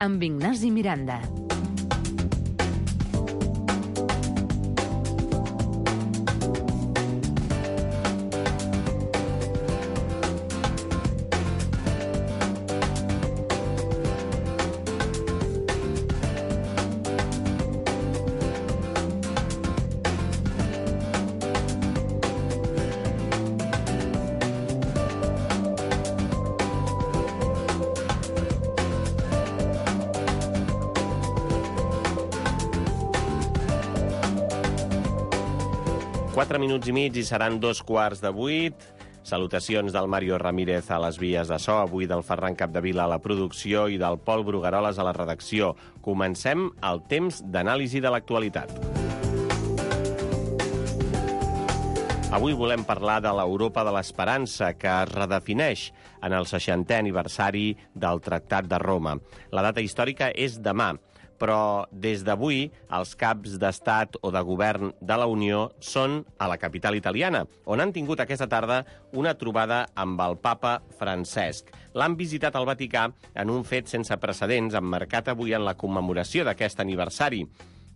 amb Ignasi Miranda. Minuts i mig i seran 2:15. Salutacions del Mario Ramírez a les vies de so, avui del Ferran Capdevila a la producció i del Pol Brugueroles a la redacció. Comencem el temps d'anàlisi de l'actualitat. Avui volem parlar de l'Europa de l'Esperança, que es redefineix en el 60è aniversari del Tractat de Roma. La data històrica és demà, però des d'avui els caps d'estat o de govern de la Unió són a la capital italiana, on han tingut aquesta tarda una trobada amb el papa Francesc. L'han visitat al Vaticà en un fet sense precedents, emmarcat avui en la commemoració d'aquest aniversari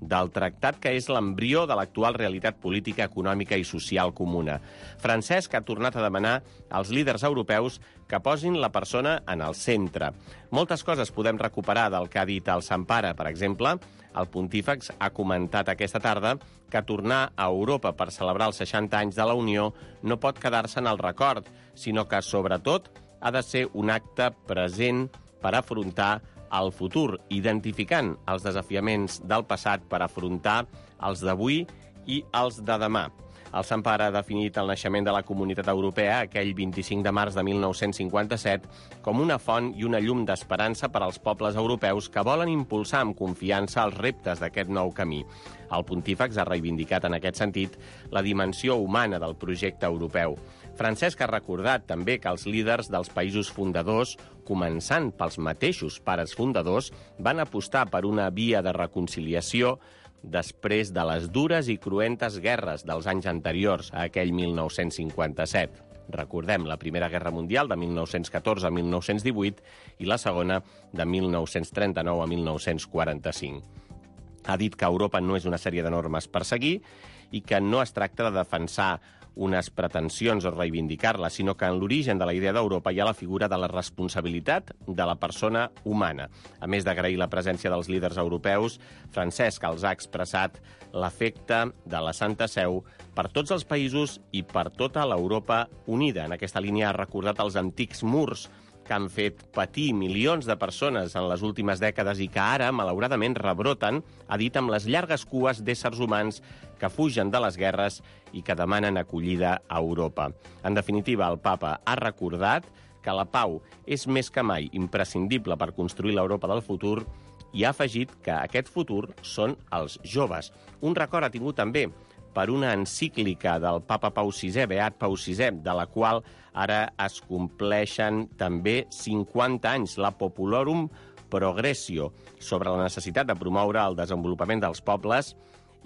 del tractat que és l'embrió de l'actual realitat política, econòmica i social comuna. Francesc ha tornat a demanar als líders europeus que posin la persona en el centre. Moltes coses podem recuperar del que ha dit el Sant Pare. Per exemple, el pontífex ha comentat aquesta tarda que tornar a Europa per celebrar els 60 anys de la Unió no pot quedar-se en el record, sinó que, sobretot, ha de ser un acte present per afrontar el futur, identificant els desafiaments del passat per afrontar els d'avui i els de demà. El Sant Pare ha definit el naixement de la Comunitat Europea, aquell 25 de març de 1957, com una font i una llum d'esperança per als pobles europeus que volen impulsar amb confiança els reptes d'aquest nou camí. El pontífex ha reivindicat en aquest sentit la dimensió humana del projecte europeu. Francesc ha recordat també que els líders dels països fundadors, començant pels mateixos pares fundadors, van apostar per una via de reconciliació després de les dures i cruentes guerres dels anys anteriors a aquell 1957. Recordem la Primera Guerra Mundial de 1914 a 1918 i la Segona de 1939 a 1945. Ha dit que Europa no és una sèrie de normes per seguir i que no es tracta de defensar unes pretensions o reivindicar-les, sinó que en l'origen de la idea d'Europa hi ha la figura de la responsabilitat de la persona humana. A més d'agrair la presència dels líders europeus, Francesc els ha expressat l'afecte de la Santa Seu per tots els països i per tota l'Europa unida. En aquesta línia ha recordat els antics murs que han fet patir milions de persones en les últimes dècades i que ara, malauradament, rebroten, ha dit, amb les llargues cues d'éssers humans que fugen de les guerres i que demanen acollida a Europa. En definitiva, el papa ha recordat que la pau és més que mai imprescindible per construir l'Europa del futur i ha afegit que aquest futur són els joves. Un record ha tingut també per una encíclica del papa Pau VI, Beat Pau VI, de la qual ara es compleixen també 50 anys, la Populorum Progressio, sobre la necessitat de promoure el desenvolupament dels pobles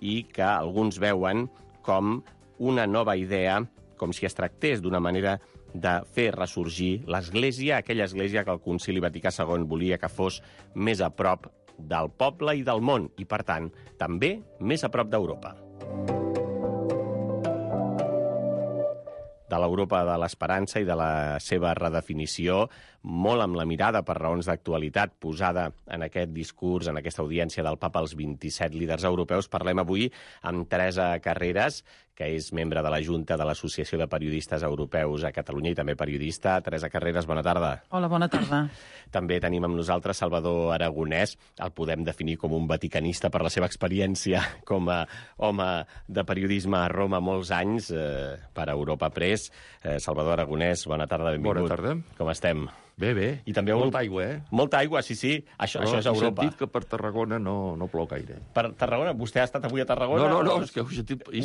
i que alguns veuen com una nova idea, com si es tractés d'una manera de fer ressorgir l'Església, aquella Església que el Concili Vaticà II volia que fos més a prop del poble i del món, i, per tant, també més a prop d'Europa. De l'Europa de l'Esperança i de la seva redefinició, molt amb la mirada per raons d'actualitat posada en aquest discurs, en aquesta audiència del papa als 27 líders europeus, parlem avui amb Teresa Carreras, que és membre de la Junta de l'Associació de Periodistes Europeus a Catalunya i també periodista. Teresa Carreras, bona tarda. Hola, bona tarda. També tenim amb nosaltres Salvador Aragonès. El podem definir com un vaticanista per la seva experiència com a home de periodisme a Roma molts anys per Europa Press. Salvador Aragonès, bona tarda, benvingut. Bona tarda. Com estem? Bé, bé. I també molta aigua, eh? Molta aigua, sí, sí. Això és Europa. He sentit que per Tarragona no plou gaire. Per Tarragona? Vostè ha estat avui a Tarragona? No, és que ho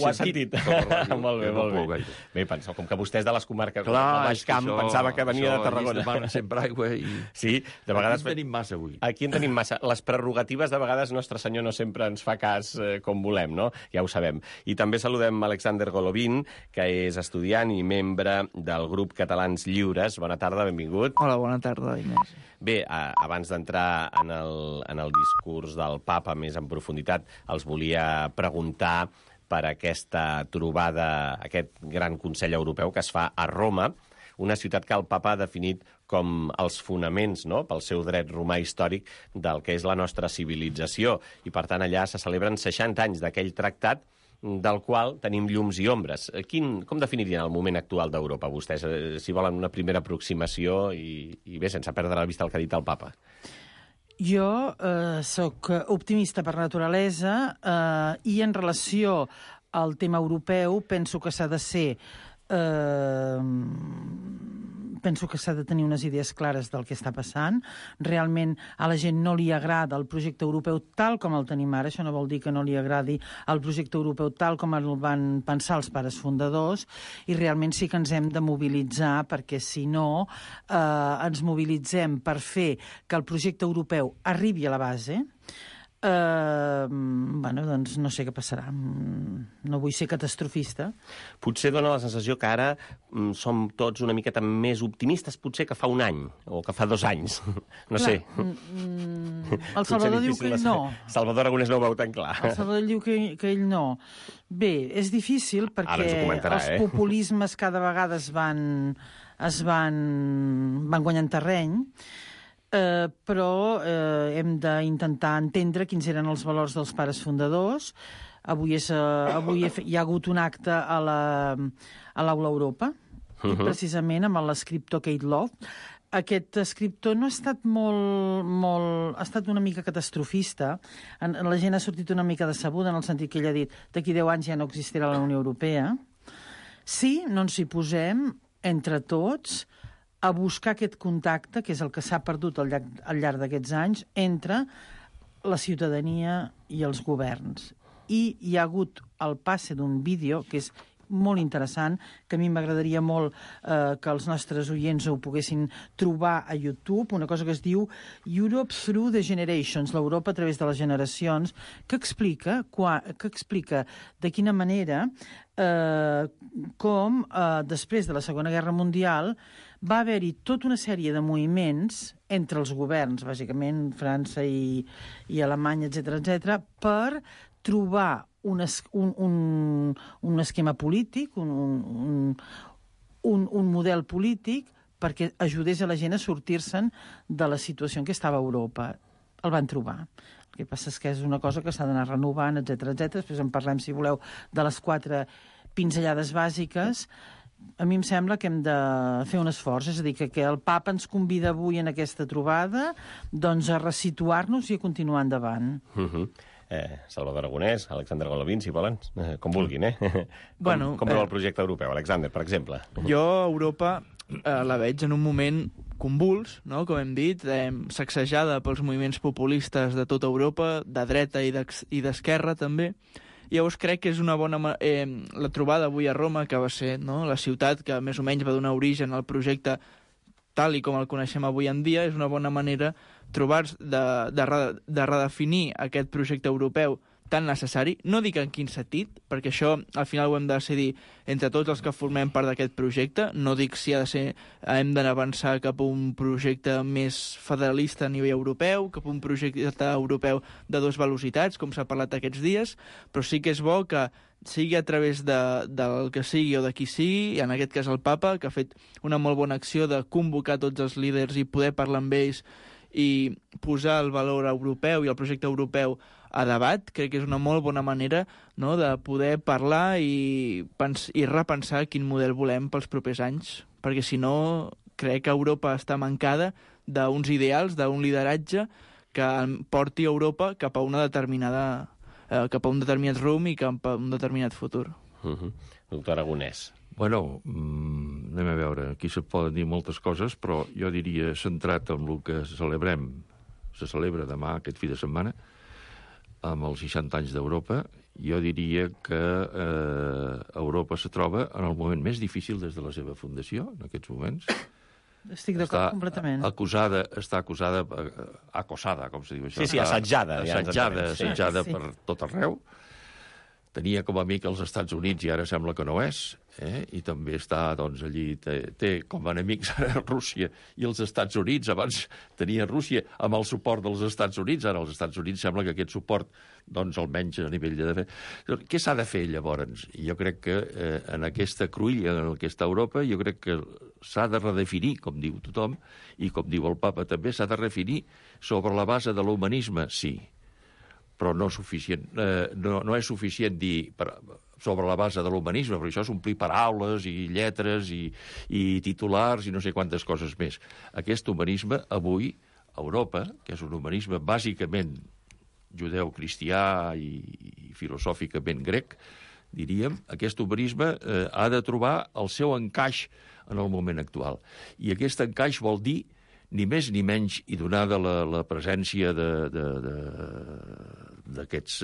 ha sentit. Molt bé, molt bé. Bé, penseu, com que vostè és de les comarques del Baix Camp, pensava que venia de Tarragona. Aquí es sempre aigua i... Sí, de vegades... Aquí en tenim massa avui. Aquí en tenim massa. Les prerrogatives, de vegades, Nostre Senyor no sempre ens fa cas com volem, no? Ja ho sabem. I també saludem Alexander Golovin, que és estudiant i membre del grup Catalans Lliures. Bona tarda, benvingut. Hola, bona tarda, Inés. Bé, abans d'entrar en el discurs del papa més en profunditat, els volia preguntar per aquesta trobada, aquest gran Consell Europeu que es fa a Roma, una ciutat que el papa ha definit com els fonaments, no?, pel seu dret romà històric del que és la nostra civilització. I, per tant, allà se celebren 60 anys d'aquell tractat del qual tenim llums i ombres. Com definirien el moment actual d'Europa, vostès, si volen una primera aproximació i bé, sense perdre la vista el que ha dit el papa? Jo sóc optimista per naturalesa i en relació al tema europeu penso que s'ha de ser... penso que s'ha de tenir unes idees clares del que està passant. Realment a la gent no li agrada el projecte europeu tal com el tenim ara. Això no vol dir que no li agradi el projecte europeu tal com el van pensar els pares fundadors, i realment sí que ens hem de mobilitzar, perquè si no ens mobilitzem per fer que el projecte europeu arribi a la base, doncs no sé què passarà. No vull ser catastrofista. Potser dona la sensació que ara som tots una miqueta més optimistes, potser que fa un any, o que fa 2 anys. No sé. El Salvador diu que ell no. Salvador Aragonès no ho veu tan clar. El Salvador diu que ell no. Bé, és difícil perquè els populismes cada vegada es van guanyant terreny, però hem d'intentar entendre quins eren els valors dels pares fundadors. Avui hi ha hagut un acte a l'Aula Europa, precisament amb l'escriptor Kate Love. Aquest escriptor no ha estat ha estat una mica catastrofista. La gent ha sortit una mica decebuda en el sentit que ell ha dit d'aquí 10 anys ja no existirà la Unió Europea. Si no ens hi posem entre tots a buscar aquest contacte, que és el que s'ha perdut al llarg d'aquests anys, entre la ciutadania i els governs. I hi ha hagut el passe d'un vídeo que és molt interessant, que a mi m'agradaria molt que els nostres oients ho poguessin trobar a YouTube, una cosa que es diu Europe Through the Generations, l'Europa a través de les generacions, que explica de quina manera com després de la Segona Guerra Mundial va haver-hi tota una sèrie de moviments entre els governs, bàsicament França i Alemanya, etc., per trobar un esquema polític, un model polític perquè ajudés a la gent a sortir-se'n de la situació en què estava Europa. El van trobar. El que passa és que és una cosa que s'ha d'anar renovant, etc. Després en parlem, si voleu, de les 4 pinzellades bàsiques. A mi em sembla que hem de fer un esforç, és a dir, que el papa ens convida avui en aquesta trobada doncs a resituar-nos i a continuar endavant. Salvador Aragonès, Alexander Golovin, si volen, com vulguin, Com veu el projecte europeu, Alexander, per exemple? Jo, Europa, la veig en un moment convuls, no? Com hem dit, sacsejada pels moviments populistes de tota Europa, de dreta i d'esquerra també. Llavors crec que és una bona... la trobada avui a Roma, que va ser la ciutat que més o menys va donar origen al projecte tal i com el coneixem avui en dia, és una bona manera de redefinir aquest projecte europeu tan necessari. No dic en quin sentit, perquè això al final ho hem de decidir entre tots els que formem part d'aquest projecte. No dic si hem d'avançar cap a un projecte més federalista a nivell europeu, cap a un projecte europeu de 2 velocitats, com s'ha parlat aquests dies, però sí que és bo que sigui a través del que sigui o de qui sigui, en aquest cas el papa, que ha fet una molt bona acció de convocar tots els líders i poder parlar amb ells i posar el valor europeu i el projecte europeu a debat. Crec que és una molt bona manera de poder parlar i repensar quin model volem pels propers anys, perquè si no crec que Europa està mancada d'uns ideals, d'un lideratge que porti Europa cap a un determinat rumb i cap a un determinat futur. Doctor Aragonès. Bueno, anem a veure, aquí se poden dir moltes coses, però jo diria, centrat en el que celebrem, se celebra demà, aquest fi de setmana, amb els 60 anys d'Europa, jo diria que Europa se troba en el moment més difícil des de la seva fundació, en aquests moments. Estic d'acord completament. Està acosada, com se diu això? Sí, assetjada. Assetjada per tot arreu. tenia com a amic els Estats Units i ara sembla que no és, i també està, doncs, allí, té com a enemics ara Rússia i els Estats Units. Abans tenia Rússia amb el suport dels Estats Units, ara els Estats Units sembla que aquest suport, doncs, almenys a nivell de defensa. Què s'ha de fer, llavors? Jo crec que en aquesta cruïlla, en aquesta Europa, jo crec que s'ha de redefinir, com diu tothom, i com diu el papa també, s'ha de redefinir sobre la base de l'humanisme, sí, però no és suficient, no és suficient dir sobre la base de l'humanisme, perquè això és omplir paraules i lletres i titulars i no sé quantes coses més. Aquest humanisme, avui, a Europa, que és un humanisme bàsicament judeu-cristià i filosòficament grec, diríem, aquest humanisme ha de trobar el seu encaix en el moment actual. I aquest encaix vol dir ni més ni menys, i donada la presència d'aquests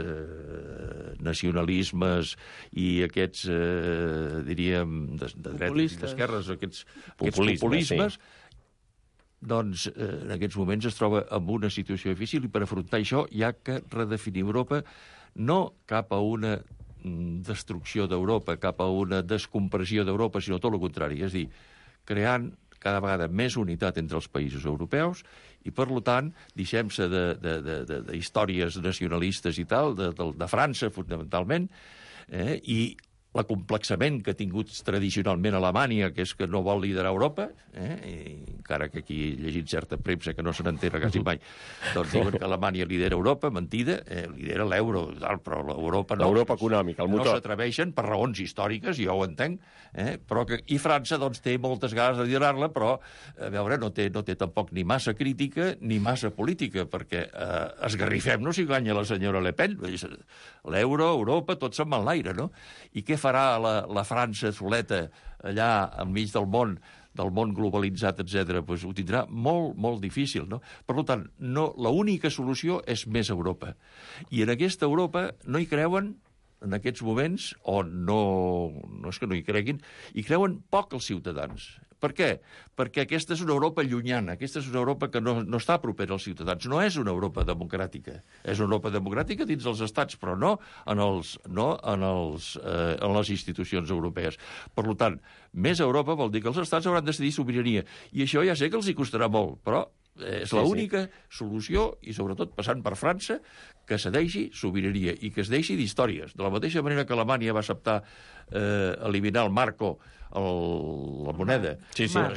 nacionalismes i aquests, diríem, de dretes i d'esquerres, aquests populismes, doncs en aquests moments es troba en una situació difícil i per afrontar això hi ha que redefinir Europa no cap a una destrucció d'Europa, cap a una descompressió d'Europa, sinó tot el contrari, és a dir, creant cada vegada més unitat entre els països europeus i, per tant, deixem-se d'històries nacionalistes i tal, de França, fonamentalment, i l'acomplexament que ha tingut tradicionalment Alemanya, que és que no vol liderar Europa, encara que aquí he llegit certa premsa que no se n'entera quasi mai, doncs diuen que Alemanya lidera Europa, mentida, lidera l'euro, però l'Europa no. L'Europa econòmica, el motor. No s'atreveixen per raons històriques, jo ho entenc, però que, i França doncs, té moltes ganes de liderar-la, però a veure, no té tampoc ni massa crítica ni massa política, perquè esgarrifem-nos si guanya la senyora Le Pen. L'euro, Europa, tot se'n va en l'aire, no? I què farà la França soleta allà enmig del món globalitzat, etc. Pues ho tindrà molt, molt difícil, no? Per tant, l'única solució és més Europa. I en aquesta Europa no hi creuen, en aquests moments, o no és que no hi creguin, hi creuen poc els ciutadans. Per què? Perquè aquesta és una Europa llunyana, aquesta és una Europa que no està propera als ciutadans, no és una Europa democràtica. És una Europa democràtica dins dels estats, però no en les institucions europees. Per tant, més Europa vol dir que els estats hauran de decidir sobirania. I això ja sé que els hi costarà molt, però és l'única solució, i sobretot passant per França, que cedeixi sobirania i que es deixi d'històries. De la mateixa manera que Alemanya va acceptar eliminar el marco, la moneda,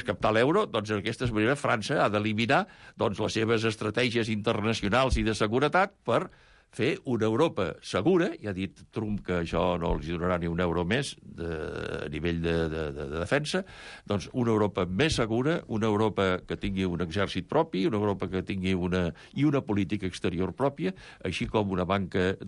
captar l'euro, doncs d'aquesta manera França ha d'eliminar les seves estratègies internacionals i de seguretat per fer una Europa segura. Ja ha dit Trump que això no els donarà ni un euro més a nivell de defensa. Doncs una Europa més segura, una Europa que tingui un exèrcit propi, una Europa que tingui una política exterior pròpia, així com una banca,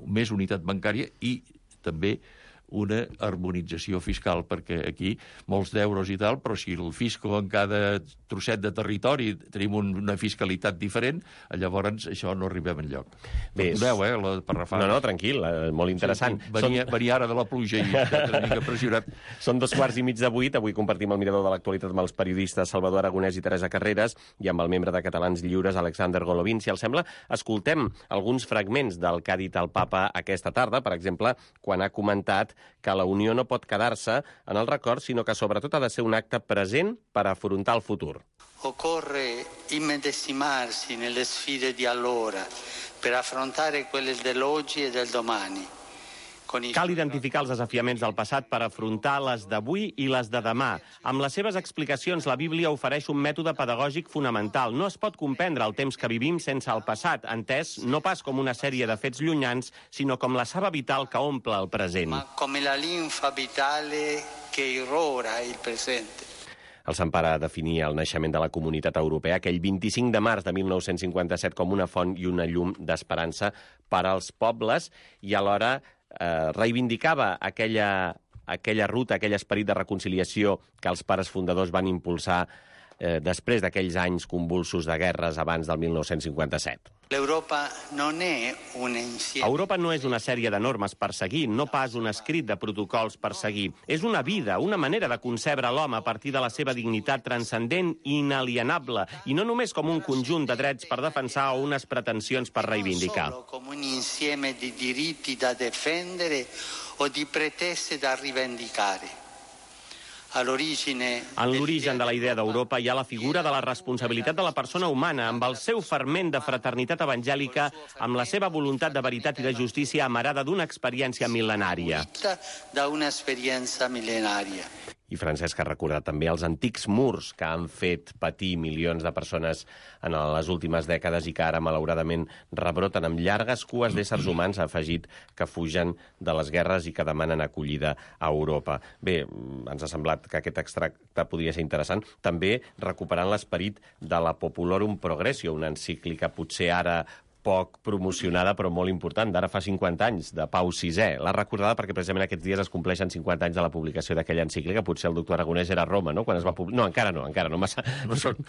més unitat bancària i també una harmonització fiscal, perquè aquí molts d'euros i tal, però si el fisco en cada trosset de territori tenim una fiscalitat diferent, llavors això no arribem enlloc. Perdoneu, per refar. No, tranquil, molt interessant. Venia ara de la pluja i una mica pressionat. Són 7:15. Avui compartim el mirador de l'actualitat amb els periodistes Salvador Aragonès i Teresa Carreras i amb el membre de Catalans Lliures, Alexander Golovin. Si els sembla, escoltem alguns fragments del que ha dit el papa aquesta tarda, per exemple, quan ha comentat que la Unió no pot quedar-se en el record, sinó que sobretot ha de ser un acte present per afrontar el futur. Occorre immedesimarsi nelle sfide di allora per affrontare quelle dell'oggi e del domani. Cal identificar els desafiaments del passat per afrontar les d'avui i les de demà. Amb les seves explicacions, la Bíblia ofereix un mètode pedagògic fonamental. No es pot comprendre el temps que vivim sense el passat, entès no pas com una sèrie de fets llunyans, sinó com la saba vital que omple el present. Ma come la linfa vitale che irrora il presente. El Sant Pare definia el naixement de la Comunitat Europea aquell 25 de març de 1957 com una font i una llum d'esperança per als pobles i alhora reivindicava aquella ruta, aquell esperit de reconciliació que els pares fundadors van impulsar després d'aquells anys convulsos de guerres abans del 1957. Europa no és una sèrie de normes per seguir, no pas un escrit de protocols per seguir. És una vida, una manera de concebre l'home a partir de la seva dignitat transcendent i inalienable, i no només com un conjunt de drets per defensar o unes pretensions per reivindicar. No solo com un insieme di diritti da difendere o di pretese da rivendicare. En l'origen de la idea d'Europa hi ha la figura de la responsabilitat de la persona humana, amb el seu ferment de fraternitat evangèlica, amb la seva voluntat de veritat i de justícia amarada d'una experiència mil·lenària. I Francesc ha recordat també els antics murs que han fet patir milions de persones en les últimes dècades i que ara, malauradament, rebroten amb llargues cues d'éssers humans, ha afegit, que fugen de les guerres i que demanen acollida a Europa. Bé, ens ha semblat que aquest extracte podria ser interessant. També recuperant l'esperit de la Populorum Progressio, una encíclica potser ara poc promocionada, però molt important, d'ara fa 50 anys, de Pau VI. L'ha recordada perquè precisament aquests dies es compleixen 50 anys de la publicació d'aquella encíclica. Potser el doctor Aragonès era a Roma, no?, quan es va publicar. No, encara no, massa.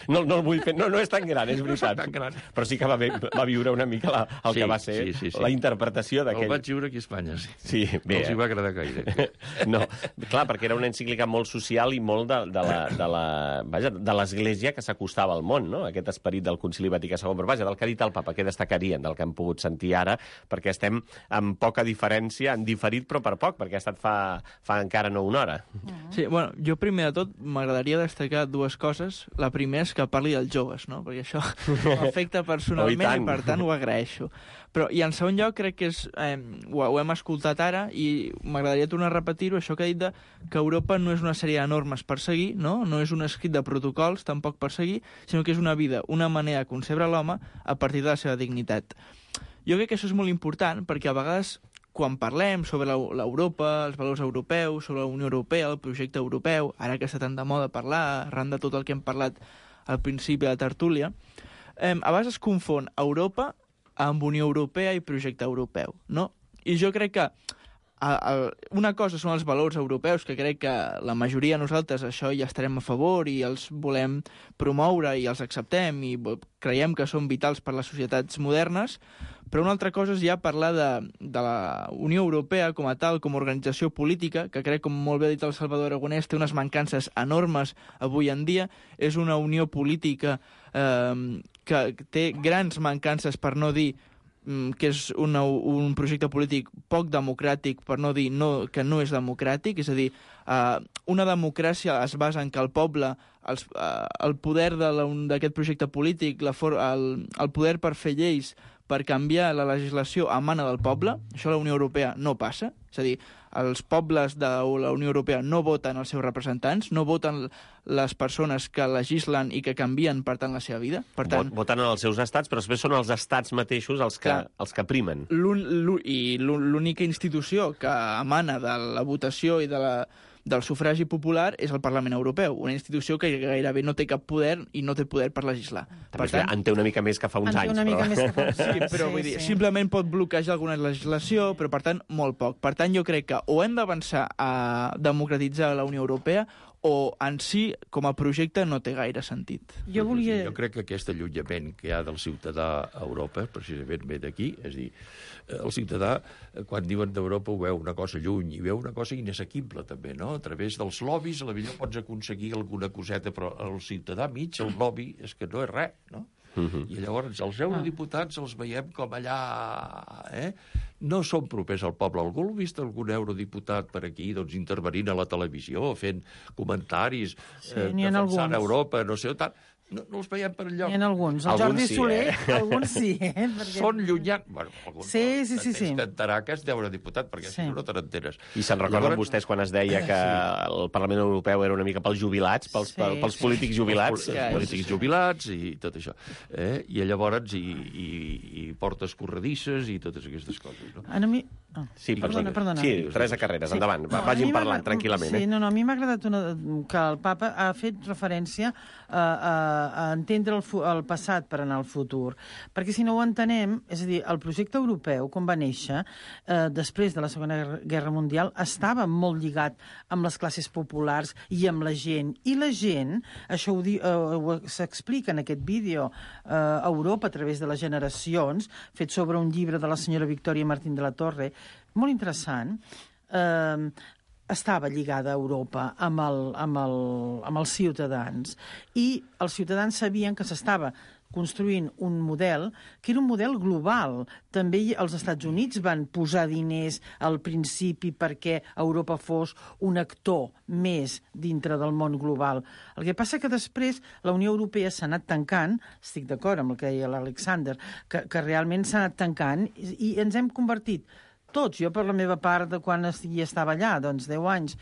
No el vull fer, no és tan gran, és veritat. Però sí que va viure una mica el que va ser la interpretació d'aquell. El vaig viure aquí a Espanya, sí. Sí, bé. No els hi va agradar gaire. No, clar, perquè era una encíclica molt social i molt de l'Església que s'acostava al món, no?, aquest esperit del Concili Vaticà II. Però vaja, del que ha dit el papa, què destacaria del que hem pogut sentir ara, perquè estem amb poca diferència, en diferit però per poc, perquè ha estat fa encara no una hora. Sí, bueno, jo primer de tot m'agradaria destacar dues coses. La primera és que parli dels joves, no?, perquè això m'afecta personalment i per tant ho agraeixo. Però, i en segon lloc crec que ho hem escoltat ara i m'agradaria tornar a repetir-ho, això que ha dit que Europa no és una sèrie de normes per seguir, no és un escrit de protocols tampoc per seguir, sinó que és una vida, una manera de concebre l'home a partir de la seva dignitat. Jo crec que això és molt important perquè a vegades quan parlem sobre l'Europa, els valors europeus, sobre la Unió Europea, el projecte europeu, ara que està tan de moda parlar, arran de tot el que hem parlat al principi de la tertúlia, a vegades es confon Europa amb Unió Europea i projecte europeu, no? I jo crec que una cosa són els valors europeus, que crec que la majoria de nosaltres això ja estarem a favor i els volem promoure i els acceptem i creiem que són vitals per a les societats modernes, però una altra cosa és ja parlar de la Unió Europea com a tal, com a organització política, que crec, com molt bé ha dit el Salvador Aragonès, té unes mancances enormes avui en dia. És una unió política que té grans mancances, per no dir que és un projecte polític poc democràtic, per no dir que no és democràtic. És a dir, una democràcia es basa en que el poble, el poder d'aquest projecte polític, el poder per fer lleis, per canviar la legislació emana del poble. Això a la Unió Europea no passa. És a dir, els pobles de la Unió Europea no voten els seus representants, no voten les persones que legislen i que canvien, per tant, la seva vida. Per tant, voten en els seus estats, però després són els estats mateixos els que primen. I l'única institució que emana de la votació i del sufragi popular és el Parlament Europeu, una institució que gairebé no té cap poder i no té poder per legislar. Per tant, en té una mica més que fa uns anys. Sí, però vull dir, simplement pot bloquejar alguna legislació, però per tant, molt poc. Per tant, jo crec que o hem d'avançar a democratitzar la Unió Europea o en si, com a projecte, no té gaire sentit. Jo crec que aquest allunyament que hi ha del ciutadà a Europa, precisament ve d'aquí, és a dir, el ciutadà, quan diuen d'Europa, ho veu una cosa lluny i veu una cosa inassequible, també, no? A través dels lobbies, a la millor pots aconseguir alguna coseta, però el ciutadà mig, el lobby, és que no és res, no? I llavors els eurodiputats els veiem com allà, no són propers al poble. Algú ha vist algun eurodiputat per aquí intervenint a la televisió, fent comentaris, defensant Europa, no sé, tant. No els veiem per enlloc. N'hi ha alguns. El Jordi Soler, alguns sí. Són llunyans. Bueno, sí. T'ententarà que és d'eurodiputat, perquè si no te n'enteres. I se'n recorden vostès quan es deia que el Parlament Europeu era una mica pels jubilats, pels polítics jubilats? Els polítics jubilats i tot això. I llavors i portes corredisses i totes aquestes coses. No? Sí, perdona. Sí, Teresa Carreras, endavant. Vagin parlant tranquil·lament. Sí, no, a mi m'ha agradat que el papa ha fet referència a entendre el passat per anar al futur. Perquè si no ho entenem, és a dir, el projecte europeu, quan va néixer, després de la Segona Guerra Mundial, estava molt lligat amb les classes populars i amb la gent. I la gent, això s'explica en aquest vídeo, a Europa, a través de les generacions, fet sobre un llibre de la senyora Victòria Martín de la Torre, molt interessant, estava lligada a Europa amb els ciutadans, i els ciutadans sabien que s'estava construint un model que era un model global. També els Estats Units van posar diners al principi perquè Europa fos un actor més dintre del món global. El que passa que després la Unió Europea s'ha anat tancant, estic d'acord amb el que deia l'Alexander, que realment s'ha anat tancant i ens hem convertit tots, jo per la meva part de quan hi estava allà, doncs 10 anys,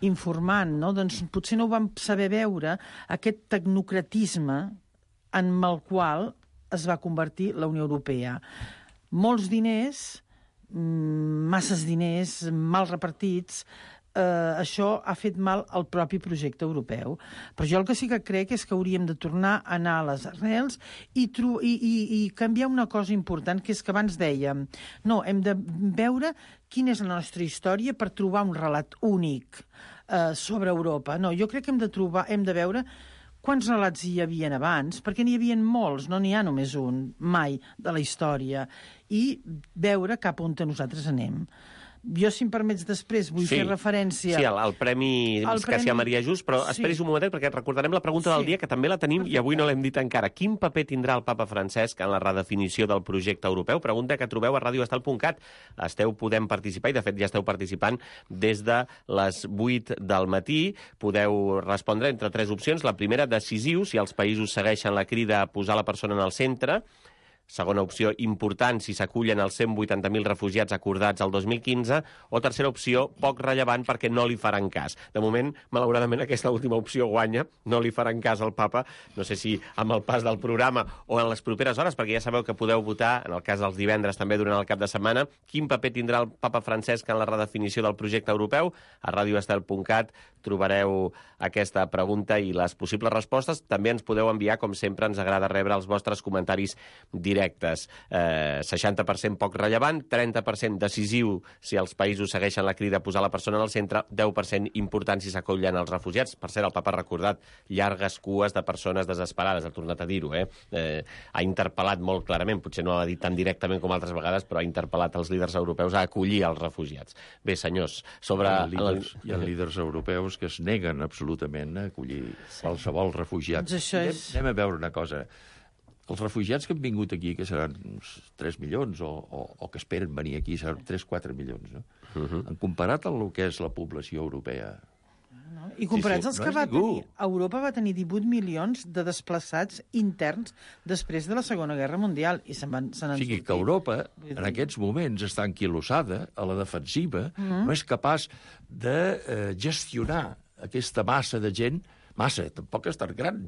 informant, no? Doncs potser no ho vam saber veure, aquest tecnocratisme en el qual es va convertir la Unió Europea. Molts diners, masses diners, mal repartits, això ha fet mal al propi projecte europeu. Però jo el que sí que crec és que hauríem de tornar a anar a les arrels i canviar una cosa important, que és que abans dèiem no, hem de veure quina és la nostra història per trobar un relat únic sobre Europa. No, jo crec que hem de veure quants relats hi havia abans, perquè n'hi havia molts, no n'hi ha només un, mai, de la història, i veure cap on nosaltres anem. Jo, si em permets, després vull fer referència... Sí, el Premi Escàcia Maria Just, però esperis un momentet perquè recordarem la pregunta del dia, que també la tenim i avui no l'hem dit encara. Quin paper tindrà el papa Francesc en la redefinició del projecte europeu? Pregunta que trobeu a radioestal.cat. Podem participar, i de fet ja esteu participant des de les 8 del matí. Podeu respondre entre 3 opcions. La primera, decisiu, si els països segueixen la crida a posar la persona en el centre. Segona opció, important, si s'acullen els 180.000 refugiats acordats el 2015, o tercera opció, poc rellevant perquè no li faran cas. De moment, malauradament, aquesta última opció guanya, no li faran cas al papa, no sé si amb el pas del programa o en les properes hores, perquè ja sabeu que podeu votar, en el cas dels divendres també durant el cap de setmana, quin paper tindrà el papa Francesc en la redefinició del projecte europeu. A radioestel.cat trobareu aquesta pregunta i les possibles respostes. També ens podeu enviar, com sempre, ens agrada rebre els vostres comentaris directes. 60% poc rellevant, 30% decisiu si els països segueixen la crida a posar la persona en el centre, 10% important si s'acollen els refugiats. Per cert, el papa ha recordat llargues cues de persones desesperades, ha tornat a dir-ho, ha interpel·lat molt clarament, potser no ho ha dit tan directament com altres vegades, però ha interpel·lat els líders europeus a acollir els refugiats. Bé, senyors, sobre... Hi ha líders europeus que es neguen absolutament a acollir qualsevol refugiat. Doncs anem a veure una cosa. Els refugiats que han vingut aquí, que seran uns 3 milions, o que esperen venir aquí, seran 3-4 milions, no? En comparat amb el que és la població europea. I comparats als que va tenir... Europa va tenir 18 milions de desplaçats interns després de la Segona Guerra Mundial, i se'n han sortit. O sigui que Europa, en aquests moments, està enquilosada, a la defensiva, no és capaç de gestionar aquesta massa de gent. Massa, tampoc és tan gran.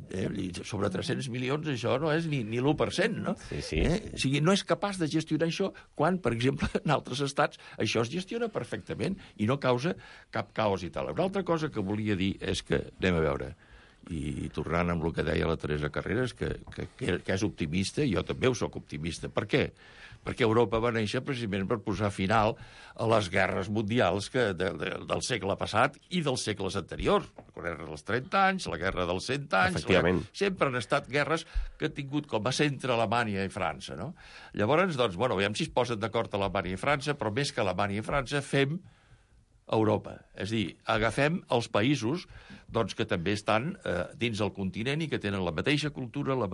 Sobre 300 milions això no és ni l'1%, no? Sí. O sigui, no és capaç de gestionar això quan, per exemple, en altres estats això es gestiona perfectament i no causa cap caos i tal. Una altra cosa que volia dir és que, anem a veure, i tornant amb el que deia la Teresa Carreras, que és optimista, i jo també ho soc optimista. Per què? Perquè Europa va néixer precisament per posar final a les guerres mundials del segle passat i dels segles anteriors. La guerra dels 30 anys, la guerra dels 100 anys... Sempre han estat guerres que han tingut com a centre Alemanya i França, no? Llavors, doncs, veiem si es posen d'acord Alemanya i França, però més que Alemanya i França fem Europa. És a dir, agafem els països doncs, que també estan dins del continent i que tenen la mateixa cultura, el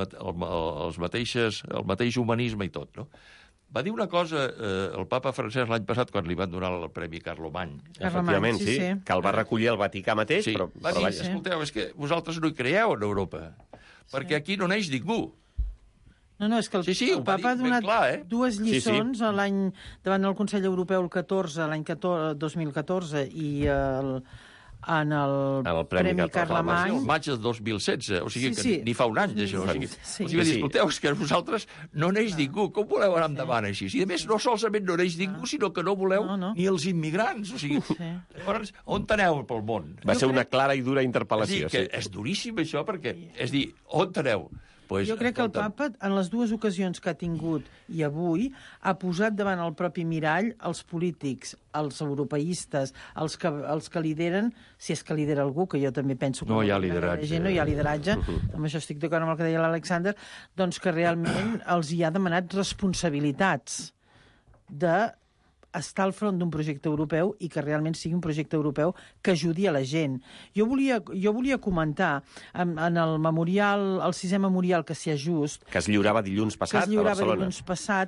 mateix humanisme i tot, no? Va dir una cosa el papa Francesc l'any passat quan li van donar el Premi Carlemany. Efectivament, sí, que el va recollir el Vaticà mateix, però va dir, escolteu, és que vosaltres no hi creieu en Europa, perquè aquí no neix ningú. No, és que el papa ha donat dues lliçons davant del Consell Europeu el 14, l'any 2014, i en el Premi Carlemany. El maig de 2016, o sigui que ni fa un any d'això. O sigui, escolteu, és que vosaltres no neix ningú, com voleu anar endavant així? I a més, no solament no neix ningú, sinó que no voleu ni els immigrants. O sigui, llavors, on aneu pel món? Va ser una clara i dura interpel·lació. És duríssim això, perquè, és dir, on aneu? Jo crec que el papa, en les dues ocasions que ha tingut i avui, ha posat davant el propi mirall els polítics, els europeistes, els que lideren, si és que lidera algú, que jo també penso que no hi ha lideratge. No hi ha lideratge, amb això estic d'acord amb el que deia l'Alexander, doncs que realment els hi ha demanat responsabilitats de estar al front d'un projecte europeu i que realment sigui un projecte europeu que ajudi a la gent. Jo volia comentar en el memorial, el 6è memorial Cassià Just, que es lliurava dilluns passat a Barcelona. Cassià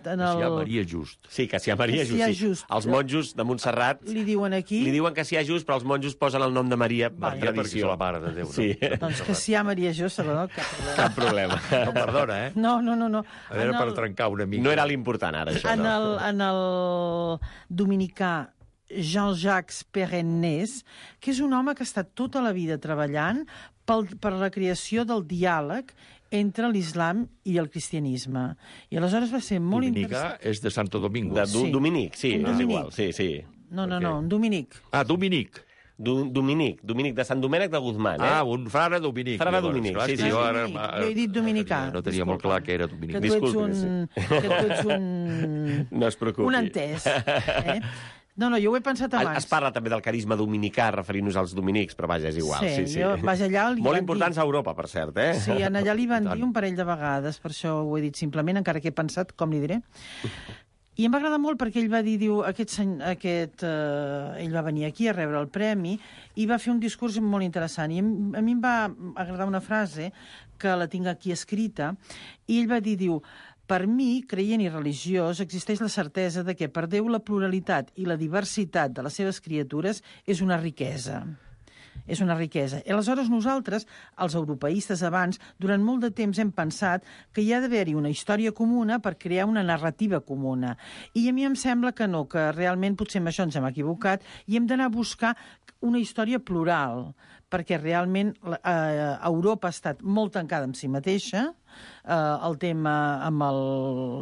Maria Just. Sí, Cassià Maria Just. Els monjos de Montserrat li diuen aquí... Li diuen Cassià Just, però els monjos posen el nom de Maria per tradició. Perquè és la mare de Déu. Sí. Doncs Cassià Maria Just, cap problema. No, perdona, eh? No. A veure, per trencar una mica. No era l'important, ara, això. En el dominicà Jean-Jacques Perrennes, que és un home que ha estat tota la vida treballant per la creació del diàleg entre l'islam i el cristianisme. I aleshores va ser molt interessant... Dominicà és de Santo Domingo. Dominic, sí, és igual. Sí. No, un Dominic. Dominic. Dominic, de Sant Domènec de Guzmán. Un frare Dominic. Frare Dominic, sí. Jo he dit dominicà. No tenia molt clar que era Dominic. Que tu ets un... No es preocupi. Un entès. No, jo ho he pensat abans. Es parla també del carisma dominicà, referint-nos als dominics, però vaja, és igual. Sí. Allà molt importants a Europa, per cert, eh? Sí, allà li van dir un parell de vegades, per això ho he dit simplement, encara que he pensat, com li diré. I em va agradar molt perquè ell va dir, ell va venir aquí a rebre el premi i va fer un discurs molt interessant. I a mi em va agradar una frase que la tinc aquí escrita, i ell va dir, per mi, creient i religiós, existeix la certesa de que per Déu la pluralitat i la diversitat de les seves criatures és una riquesa. És una riquesa. I aleshores nosaltres, els europeistes abans, durant molt de temps hem pensat que hi ha d'haver-hi una història comuna per crear una narrativa comuna. I a mi em sembla que no, que realment potser amb això ens hem equivocat i hem d'anar a buscar una història plural, perquè realment Europa ha estat molt tancada amb si mateixa, el tema amb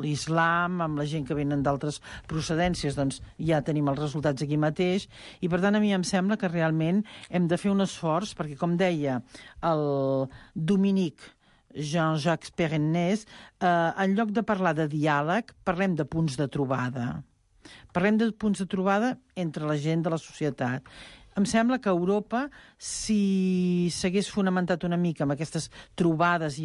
l'islam, amb la gent que venen d'altres procedències, doncs ja tenim els resultats aquí mateix, i per tant a mi em sembla que realment hem de fer un esforç, perquè com deia el Dominic Jean-Jacques Perrennes, en lloc de parlar de diàleg, parlem de punts de trobada. Parlem de punts de trobada entre la gent de la societat. Em sembla que Europa, si s'hagués fonamentat una mica amb aquestes trobades,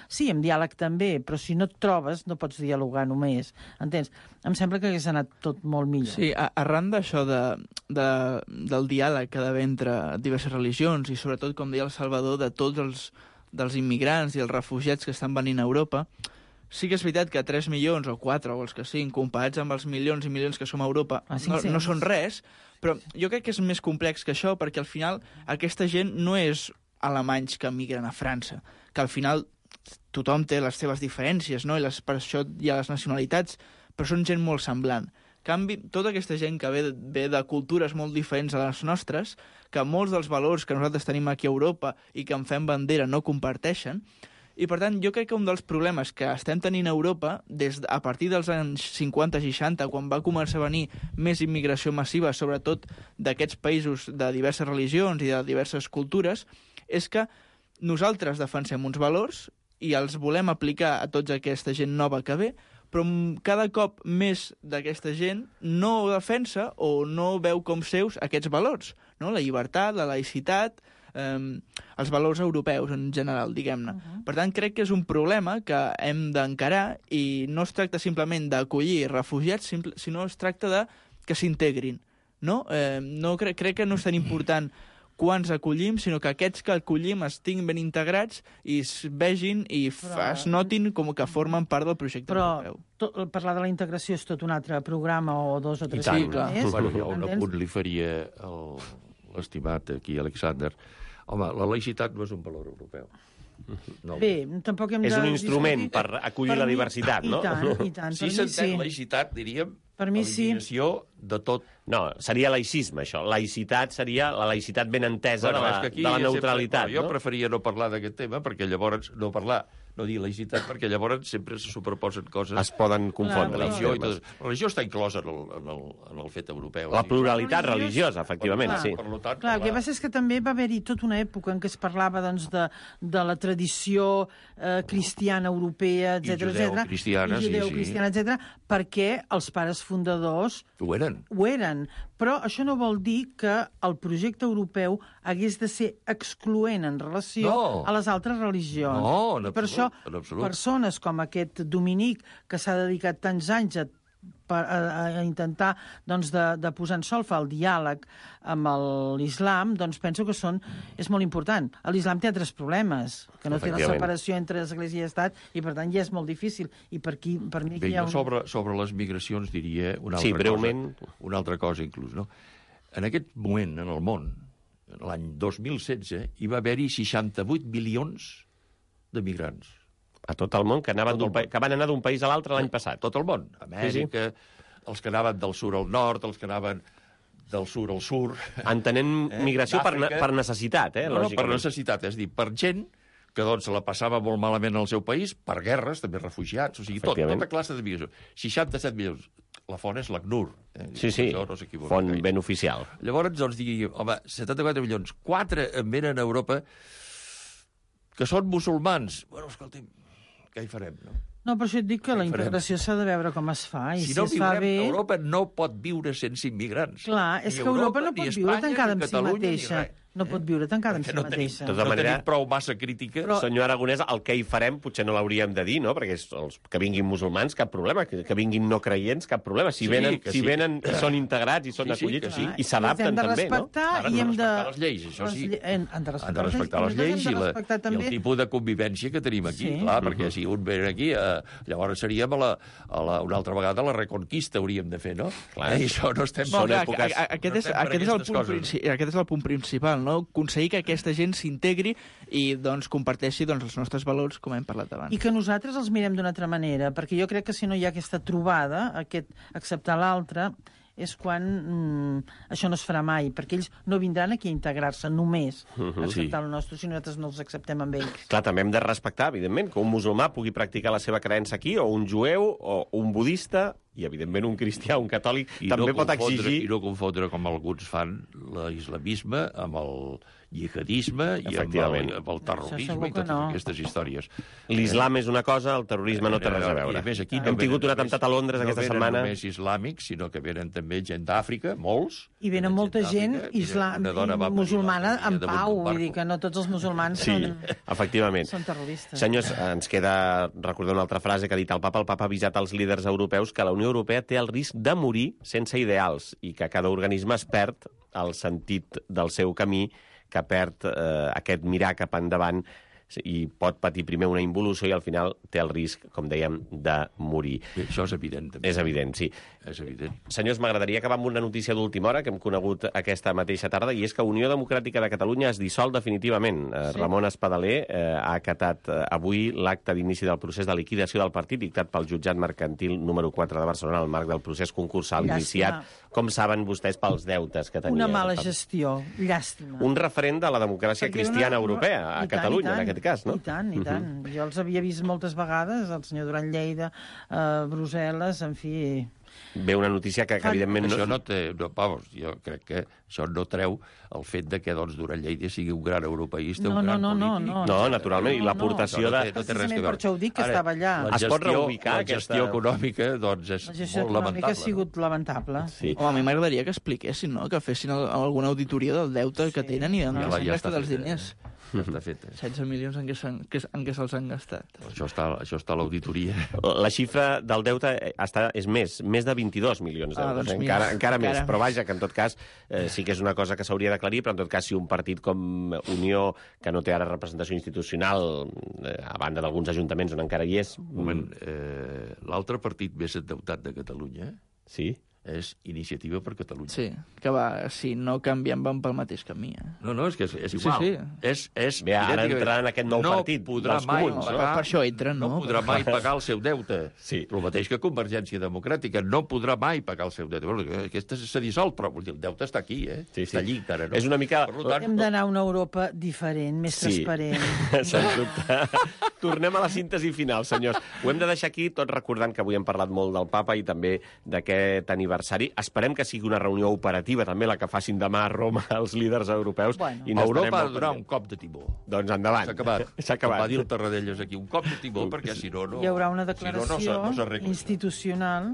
sí, amb diàleg també, però si no et trobes no pots dialogar només, entens? Em sembla que hagués anat tot molt millor. Sí, arran d'això del diàleg que ha d'haver entre diverses religions i sobretot, com deia el Salvador, de tots dels immigrants i els refugiats que estan venint a Europa, sí que és veritat que 3 milions o 4 o els que siguin, comparats amb els milions i milions que som a Europa, no són res, però jo crec que és més complex que això, perquè al final aquesta gent no és alemanys que migren a França, que al final tothom té les seves diferències, no? Per això hi ha les nacionalitats, però són gent molt semblant. En canvi, tota aquesta gent que ve de cultures molt diferents a les nostres, que molts dels valors que nosaltres tenim aquí a Europa i que en fem bandera no comparteixen, i, per tant, jo crec que un dels problemes que estem tenint a Europa, a partir dels anys 50-60, quan va començar a venir més immigració massiva, sobretot d'aquests països de diverses religions i de diverses cultures, és que nosaltres defensem uns valors i els volem aplicar a tota aquesta gent nova que ve, però cada cop més d'aquesta gent no defensa o no veu com seus aquests valors, no? La llibertat, la laïcitat, els valors europeus en general, diguem-ne. Per tant, crec que és un problema que hem d'encarar i no es tracta simplement d'acollir refugiats, sinó es tracta de que s'integrin, no? Crec que no és tan important quants acollim, sinó que aquests que acollim estiguin ben integrats i es vegin i es notin com que formen part del projecte europeu. Però parlar de la integració és tot un altre programa o 2 o 3 anys més. Jo un apunt li faria l'estimat aquí, Alexander. Home, la laïcitat no és un valor europeu. No. Bé, tampoc hem de... És un instrument per acollir la diversitat, no? I tant. Si s'entén laïcitat, diríem, per mi sí. eliminació de tot. No, seria laïcisme, això. Laïcitat seria la laïcitat ben entesa de la neutralitat. Jo preferia no parlar d'aquest tema, perquè llavors no dir laïcitat, perquè llavors sempre se superposen coses... Es poden confondre. La religió està inclosa en el fet europeu. La pluralitat religiosa, efectivament, sí. Clar, el que passa és que també va haver-hi tota una època en què es parlava de la tradició cristiana europea, etc. Judeu-cristiana, judeu-cristiana, etc. perquè els pares fundadors ho eren. Però això no vol dir que el projecte europeu hagués de ser excloent en relació a les altres religions. No, en absolut. Per això, persones com aquest Dominic, que s'ha dedicat tants anys a intentar doncs, de posar en solfa el diàleg amb l'islam, doncs penso que és molt important. L'islam té altres problemes, que no té la separació entre església i estat, i per tant ja és molt difícil. I per mi aquí hi ha sobre les migracions diria una altra cosa inclús. No? En aquest moment, en el món, l'any 2016, hi va haver-hi 68 milions de migrants. A tot el món, que van anar d'un país a l'altre l'any passat. Tot el món. Amèrica, els que anaven del sud al nord, els que anaven del sud al sud. Entenent migració per necessitat, No, per necessitat, és a dir, per gent que doncs la passava molt malament al seu país, per guerres, també refugiats, o sigui, tota classe de migració. 67 milions. La font és l'ACNUR. Sí, font ben oficial. Llavors, doncs, digui, home, 74 milions, 4 en venen a Europa que són musulmans. Bueno, escolti'm, què hi farem, no? No, per això et dic que la integració s'ha de veure com es fa. I si no es fa bé... Europa no pot viure sense immigrants. Clar, és que Europa no pot viure tancada en si mateixa. No pot viure tancada en si mateixa. No tenim prou massa crítica. Senyor Aragonès, el que hi farem potser no l'hauríem de dir, no? Perquè els que vinguin musulmans, cap problema. Que vinguin no creients, cap problema. Si venen i són integrats i són acollits, i s'adapten també, no? Ara han de respectar les lleis, això sí. Han de respectar les lleis i el tipus de convivència que tenim aquí. Clar, perquè si un ve aquí, llavors seríem una altra vegada la reconquista hauríem de fer, no? I això no estem... Aquest és el punt principal, no? Aconseguir que aquesta gent s'integri i doncs comparteixi els nostres valors, com hem parlat abans. I que nosaltres els mirem d'una altra manera, perquè jo crec que si no hi ha aquesta trobada, aquest acceptar l'altre, és quan això no es farà mai, perquè ells no vindran aquí a integrar-se només a acceptar el nostre, si nosaltres no els acceptem amb ells. Clar, també hem de respectar, evidentment, que un musulmà pugui practicar la seva creença aquí, o un jueu, o un budista, i evidentment un cristià, un catòlic, també pot exigir... I no confondre, com alguns fan, l'islamisme amb el jihadisme i amb el terrorisme i totes aquestes històries. L'islam és una cosa, el terrorisme no té res a veure. Hem tingut un atemptat a Londres aquesta setmana. No venen només islàmics, sinó que venen també gent d'Àfrica, molts. I venen molta gent musulmana en pau, vull dir que no tots els musulmans són terroristes. Senyors, ens queda recordar una altra frase que ha dit el Papa. El Papa ha avisat als líders europeus que la Unió Europea té el risc de morir sense ideals i que cada organisme es perd el sentit del seu camí, que perd aquest mirar cap endavant i pot patir primer una involució i al final té el risc, com dèiem, de morir. Bé, això és evident, també. És evident, sí. És evident. Senyors, m'agradaria acabar amb una notícia d'última hora que hem conegut aquesta mateixa tarda, i és que Unió Democràtica de Catalunya es dissol definitivament. Ramon Espadaler ha acatat avui l'acte d'inici del procés de liquidació del partit dictat pel jutjat mercantil número 4 de Barcelona al marc del procés concursal iniciat, com saben vostès, pels deutes que tenia. Una mala gestió, llàstima. Un referent de la democràcia cristiana europea a Catalunya, en aquest cas, no? I tant, i tant. Jo els havia vist moltes vegades, el senyor Duran Lleida, Brussel·les, en fi... Ve una notícia que evidentment... Això no té... Vamos, jo crec que això no treu el fet de que Duran Lleida sigui un gran europeista, un gran polític. No, naturalment, i l'aportació de... No té res a veure. Per això ho dic, que estava allà. Es pot reubicar la gestió econòmica, doncs, és molt lamentable. La gestió econòmica ha sigut lamentable. Home, a mi m'agradaria que expliquessin, no?, que fessin alguna auditoria del deute que tenen i d'on s'han gastat els diners. Ja està fet. 16 milions en què se'ls han gastat. Això està a l'auditoria. La xifra del deute és més de 22 milions d'euros. Encara més, però vaja, que en tot cas sí que és una cosa que s'hauria d'aclarir, però en tot cas si un partit com Unió, que no té ara representació institucional, a banda d'alguns ajuntaments on encara hi és... Un moment, l'altre partit més endeutat de Catalunya... Sí? és Iniciativa per Catalunya. Sí, que va, si no canviem van pel mateix camí. No, és que és igual. Sí. Bé, ara entrarà en aquest nou partit dels comuns. Per això entren, no? No podrà mai pagar el seu deute. Sí. El mateix que Convergència Democràtica. No podrà mai pagar el seu deute. Aquesta s'ha dissolt, però el deute està aquí, Sí. Està allí encara, no? És una mica... Hem d'anar a una Europa diferent, més transparent. Sens dubte. Tornem a la síntesi final, senyors. Ho hem de deixar aquí, tot recordant que avui hem parlat molt del papa i també d'aquest aniversari. Esperem que sigui una reunió operativa, també la que facin demà a Roma els líders europeus. Bueno. Europa ha de donar un cop de timó. Doncs endavant. S'ha acabat. S'ha acabat. Va dir el Tarradellas aquí, un cop de timó, perquè si no... Hi haurà una declaració no s'arregla. institucional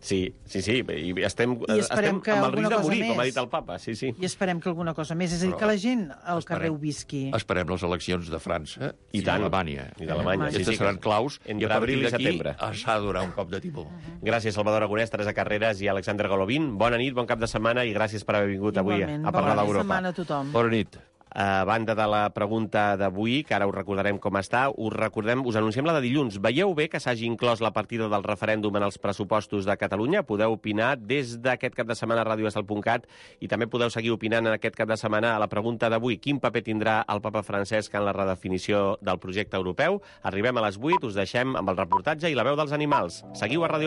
Sí, i estem esperem que amb el risc de alguna cosa morir, com ha més. dit el papa. Sí. i esperem que alguna cosa més. És a dir, que la gent al carrer ho visqui. Esperem les eleccions de França I tant. d'Alemanya. I d'Alemanya, sí, Aquestes seran claus entre i a abril partir i setembre. d'aquí s'ha de donar un cop de timó. Gràcies, Salvador Aragonès, Teresa Carreras i Alexander Golovin. Bona nit, bon cap de setmana i gràcies per haver vingut avui Igualment. a parlar Bona d'Europa. setmana a tothom. Bona nit. A banda de la pregunta d'avui, que ara us recordarem com està, us anunciem la de dilluns. Veieu bé que s'hagi inclòs la partida del referèndum en els pressupostos de Catalunya? Podeu opinar des d'aquest cap de setmana a radioestel.cat i també podeu seguir opinant en aquest cap de setmana a la pregunta d'avui. Quin paper tindrà el papa Francesc en la redefinició del projecte europeu? Arribem a les 8, us deixem amb el reportatge i la veu dels animals. Seguiu a Ràdio